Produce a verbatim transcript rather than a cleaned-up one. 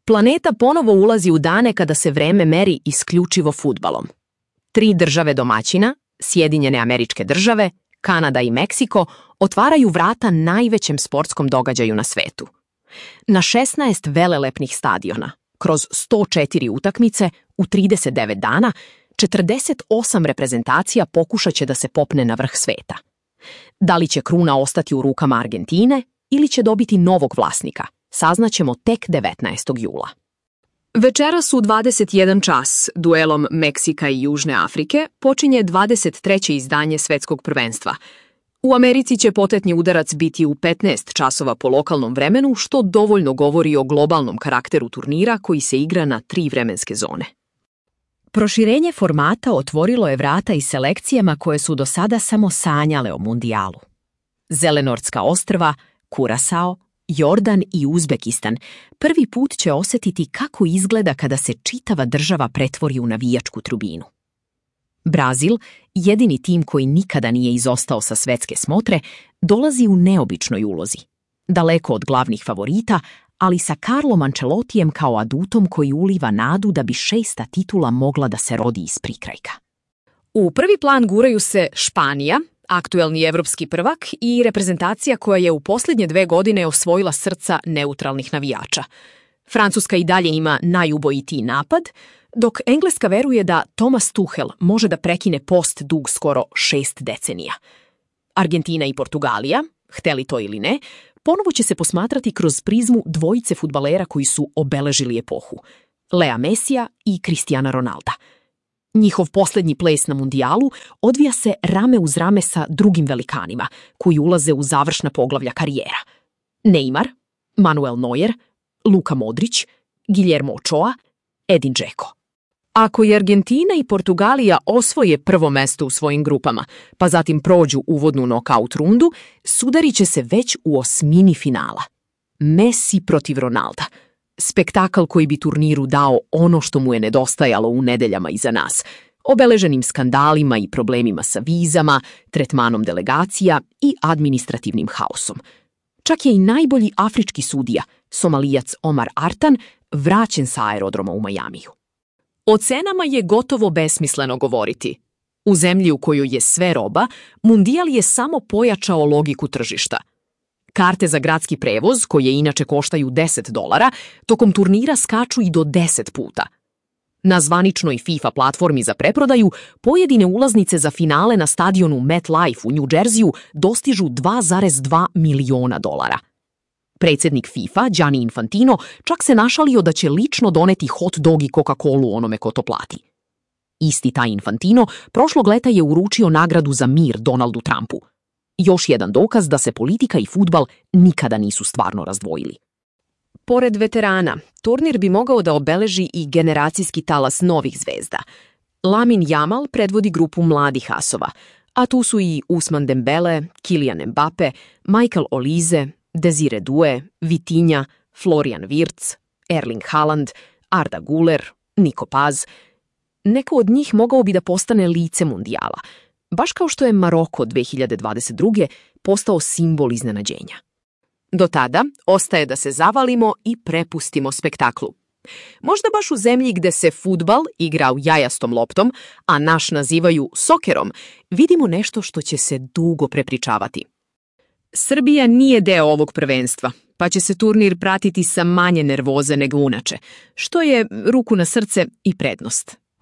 Planeta ponovo ulazi u dane kada se vreme meri isključivo fudbalom. Tri države domaćina, Sjedinjene Američke Države, Kanada i Meksiko, otvaraju vrata najvećem sportskom događaju na svetu. Na šesnaest velelepnih stadiona, kroz sto četiri utakmice, u trideset devet dana, četrdeset osam reprezentacija pokušat će da se popne na vrh sveta. Da li će kruna ostati u rukama Argentine ili će dobiti novog vlasnika, saznaćemo tek devetnaestog jula. Večeras u dvadeset jedan čas, duelom Meksika i Južne Afrike, počinje dvadeset treće izdanje svetskog prvenstva. U Americi će potetni udarac biti u petnaest časova po lokalnom vremenu, što dovoljno govori o globalnom karakteru turnira koji se igra na tri vremenske zone. Proširenje formata otvorilo je vrata i selekcijama koje su do sada samo sanjale o mundijalu. Zelenortska ostrva, Kurasao, Jordan i Uzbekistan prvi put će osjetiti kako izgleda kada se čitava država pretvori u navijačku tribinu. Brazil, jedini tim koji nikada nije izostao sa svetske smotre, dolazi u neobičnoj ulozi. Daleko od glavnih favorita, ali sa Carlom Ancelottijem kao adutom koji uliva nadu da bi šesta titula mogla da se rodi iz prikrajka. U prvi plan guraju se Španija, aktuelni evropski prvak i reprezentacija koja je u posljednje dve godine osvojila srca neutralnih navijača. Francuska i dalje ima najubojitiji napad, dok Engleska veruje da Thomas Tuchel može da prekine post dug skoro šest decenija. Argentina i Portugalija, hteli to ili ne, ponovo će se posmatrati kroz prizmu dvojice fudbalera koji su obeležili epohu, Lea Mesija i Cristiana Ronalda. Njihov posljednji ples na mundijalu odvija se rame uz rame sa drugim velikanima koji ulaze u završna poglavlja karijera. Neymar, Manuel Neuer, Luka Modrić, Guillermo Ochoa, Edin Dzeko. Ako i Argentina i Portugalija osvoje prvo mesto u svojim grupama, pa zatim prođu uvodnu nokaut rundu, sudarit će se već u osmini finala. Messi protiv Ronalda. Spektakl koji bi turniru dao ono što mu je nedostajalo u nedeljama iza nas, obeleženim skandalima i problemima sa vizama, tretmanom delegacija i administrativnim haosom. Čak je i najbolji afrički sudija, Somalijac Omar Artan, vraćen sa aerodroma u Majamiju. O cenama je gotovo besmisleno govoriti. U zemlji u kojoj je sve roba, mundijal je samo pojačao logiku tržišta. Karte za gradski prevoz, koje inače koštaju deset dolara, tokom turnira skaču i do deset puta. Na zvaničnoj FIFA platformi za preprodaju, pojedine ulaznice za finale na stadionu MetLife u New Jerseyju dostižu dva zarez dva miliona dolara. Predsjednik FIFA, Gianni Infantino, čak se našalio da će lično doneti hot dog i Coca-Colu onome ko to plati. Isti taj Infantino prošlog leta je uručio nagradu za mir Donaldu Trumpu. Još jedan dokaz da se politika i fudbal nikada nisu stvarno razdvojili. Pored veterana, turnir bi mogao da obeleži i generacijski talas novih zvezda. Lamin Jamal predvodi grupu mladih asova, a tu su i Ousmane Dembele, Kylian Mbappe, Michael Olise, Desire Due, Vitinha, Florian Wirtz, Erling Haaland, Arda Güler, Nico Paz. Neko od njih mogao bi da postane lice mundijala, baš kao što je Maroko dve hiljade dvadeset druge postao simbol iznenađenja. Do tada ostaje da se zavalimo i prepustimo spektaklu. Možda baš u zemlji gde se fudbal igra u jajastom loptom, a naš nazivaju sokerom, vidimo nešto što će se dugo prepričavati. Srbija nije deo ovog prvenstva, pa će se turnir pratiti sa manje nervoze nego unače, što je, ruku na srce, i prednost.